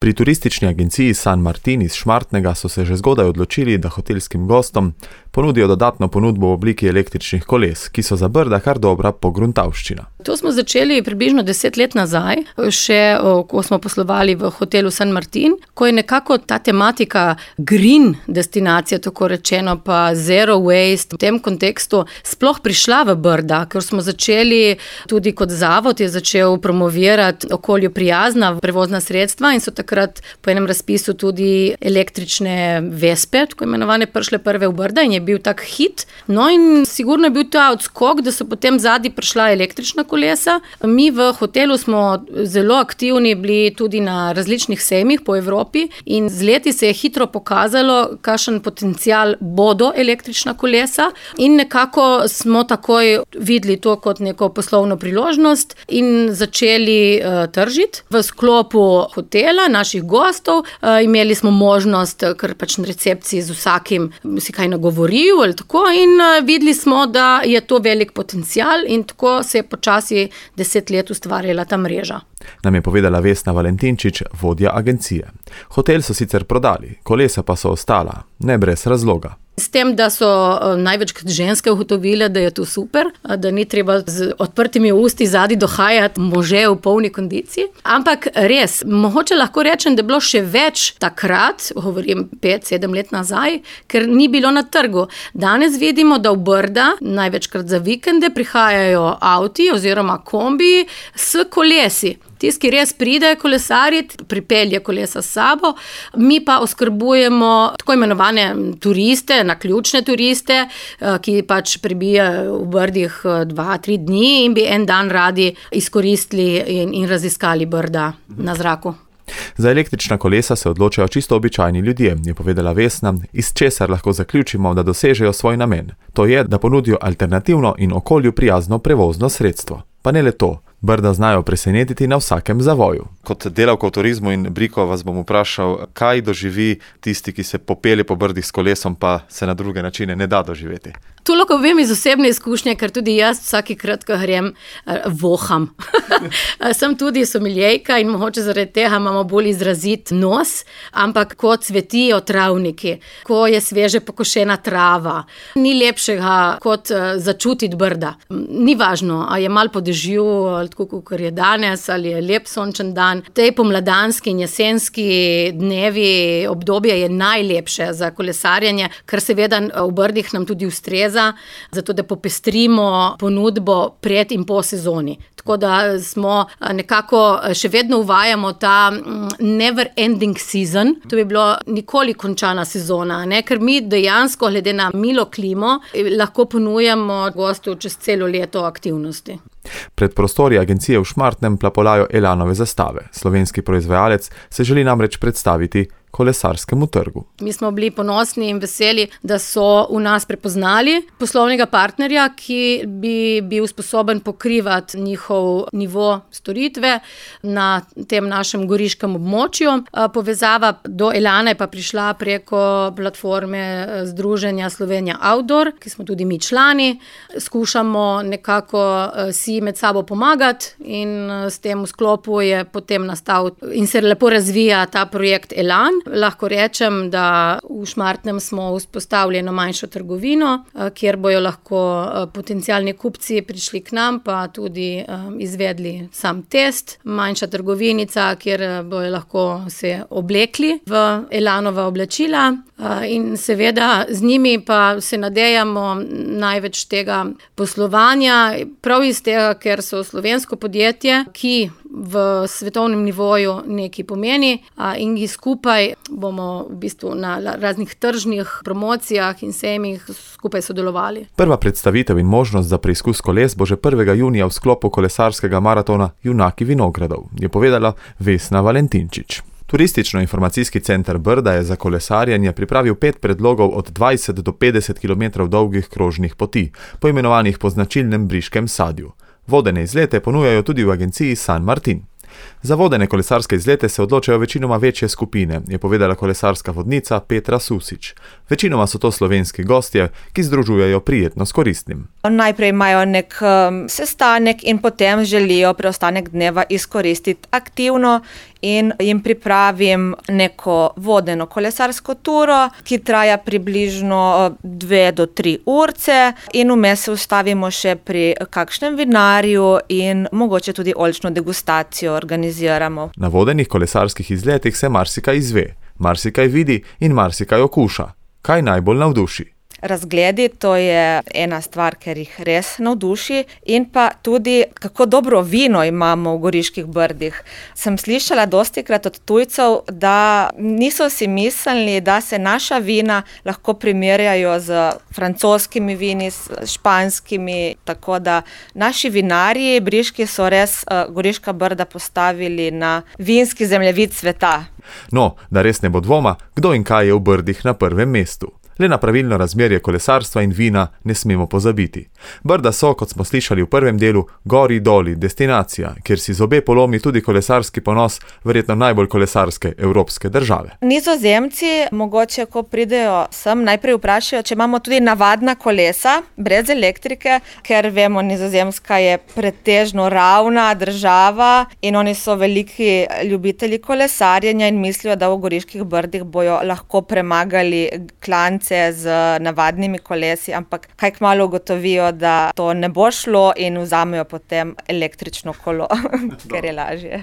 Pri turistični agenciji San Martin iz Šmartnega so se že zgodaj odločili, da hotelskim gostom ponudijo dodatno ponudbo v obliki električnih koles, ki so za Brda kar dobra pogruntavščina. To smo začeli približno 10 let nazaj, še ko smo poslovali v hotelu San Martin, ko je nekako ta tematika green destinacija, tako rečeno, pa zero waste, v tem kontekstu sploh prišla v Brda, ker smo začeli tudi kot zavod je začel promovirati okolju prijazna prevozna sredstva in so takrat po enem razpisu tudi električne vespe, tako imenovane, prišle prve v Brda in je bil tak hit. No in sigurno je bil ta odskok, da so potem zadnji prišla električna kolesa. Mi v hotelu smo zelo aktivni bili tudi na različnih sejmih po Evropi in z leti se je hitro pokazalo, kakšen potencial bodo električna kolesa in nekako smo takoj videli to kot neko poslovno priložnost in začeli tržiti. V sklopu hotela, naših gostov, imeli smo možnost, ker pač na recepciji z vsakim si kaj nagovoril ali tako in videli smo, da je to velik potencial in tako se je počasi 10 let ustvarjala ta mreža. Nam je povedala Vesna Valentinčič, vodja agencije. Hotel so sicer prodali, kolesa pa so ostala, ne brez razloga. S tem, da so največkrat ženske ugotovile, da je to super, da ni treba z odprtimi usti zadaj dohajati može v polni kondiciji. Ampak res, mogoče lahko rečem, da je bilo še več takrat, govorim 5-7 let nazaj, ker ni bilo na trgu. Danes vidimo, da v Brda največkrat za vikende prihajajo avti oziroma kombiji s kolesi. Tisti, ki res pride kolesariti, pripelje kolesa s sabo, mi pa oskrbujemo tako imenovane turiste, naključne turiste, ki pač prebijajo v Brdih 2-3 dni in bi en dan radi izkoristili in raziskali Brda na zraku. Za električna kolesa se odločajo čisto običajni ljudje, je povedala Vesna, iz česar lahko zaključimo, da dosežejo svoj namen. To je, da ponudijo alternativno in okolju prijazno prevozno sredstvo. Pa ne le to. Brda znajo presenetiti na vsakem zavoju. Kot delavka v turizmu in Briko vas bom vprašal, kaj doživi tisti, ki se popelje po Brdih s kolesom, pa se na druge načine ne da doživeti. To lahko vem iz osebne izkušnje, ker tudi jaz vsakikrat, ko grem, voham. Sem tudi somiljejka in mogoče zaradi tega imamo bolj izrazit nos, ampak ko cvetijo travniki, ko je sveže pokošena trava, ni lepšega kot začutiti Brda. Ni važno, a je malo po dežju, tako kot je danes, ali je lep sončen dan. Tej pomladanski in jesenski dnevi, obdobje je najlepše za kolesarjenje, kar seveda v Brdih nam tudi ustreza, zato da popestrimo ponudbo pred in po sezoni. Tako da smo nekako še vedno uvajamo ta never ending season. To bi bilo nikoli končana sezona, ne? Ker mi dejansko glede na milo klimo lahko ponujamo gostu čez celo leto aktivnosti. Pred prostori agencije v Šmartnem plapolajo Elanove zastave. Slovenski proizvajalec se želi namreč predstaviti kolesarskemu trgu. Mi smo bili ponosni in veseli, da so v nas prepoznali poslovnega partnerja, ki bi bil sposoben pokrivati njihov nivo storitve na tem našem goriškem območju. Povezava do Elana je pa prišla preko platforme Združenja Slovenija Outdoor, ki smo tudi mi člani. Skušamo nekako si med sabo pomagati in s tem v sklopu je potem nastal in se lepo razvija ta projekt Elan. Lahko rečem, da v Šmartnem smo vzpostavili eno manjšo trgovino, kjer bojo lahko potencialni kupci prišli k nam, pa tudi izvedli sam test. Manjša trgovinica, kjer bojo lahko se oblekli v Elanova oblačila in seveda z njimi pa se nadejamo največ tega poslovanja, prav iz tega, ker so slovensko podjetje, ki v svetovnem nivoju nekaj pomeni in gi skupaj bomo v bistvu na raznih tržnih promocijah in sejmih skupaj sodelovali. Prva predstavitev in možnost za preizkus koles bo že 1. junija v sklopu kolesarskega maratona Junaki vinogradov, je povedala Vesna Valentinčič. Turistično-informacijski center Brda je za kolesarjenje pripravil 5 predlogov od 20 do 50 km dolgih krožnih poti, poimenovanih po značilnem briškem sadju. Vodene izlete ponujajo tudi v agenciji San Martin. Za vodene kolesarske izlete se odločajo večinoma večje skupine, je povedala kolesarska vodnica Petra Susič. Večinoma so to slovenski gostje, ki združujejo prijetno s koristnim. Najprej imajo nek sestanek in potem želijo preostanek dneva izkoristiti aktivno in jim pripravim neko vodeno kolesarsko turo, ki traja približno 2 do 3 urce in vmes se ustavimo še pri kakšnem vinarju in mogoče tudi oljčno degustacijo organiziramo. Na vodenih kolesarskih izletih se marsikaj izve, marsikaj vidi in marsikaj okuša. Kaj najbolj navduši? Razgledi, to je ena stvar, ker jih res navduši, in pa tudi, kako dobro vino imamo v Goriških Brdih. Sem slišala dostikrat od tujcev, da niso si mislili, da se naša vina lahko primerjajo z francoskimi vini, s španskimi, tako da naši vinarji briški so res Goriška Brda postavili na vinski zemljevid sveta. No, da res ne bo dvoma, kdo in kaj je v Brdih na prvem mestu. Le na pravilno razmerje kolesarstva in vina ne smemo pozabiti. Brda so, kot smo slišali v prvem delu, gori doli, destinacija, kjer si zobe polomi tudi kolesarski ponos verjetno najbolj kolesarske evropske države. Nizozemci mogoče, ko pridejo sem, najprej vprašajo, če imamo tudi navadna kolesa, brez elektrike, ker vemo, Nizozemska je pretežno ravna država in oni so veliki ljubitelji kolesarjenja in mislijo, da v Goriških Brdih bojo lahko premagali klance z navadnimi kolesi, ampak kaj kmalu ugotovijo, da to ne bo šlo in vzamejo potem električno kolo, ker je lažje.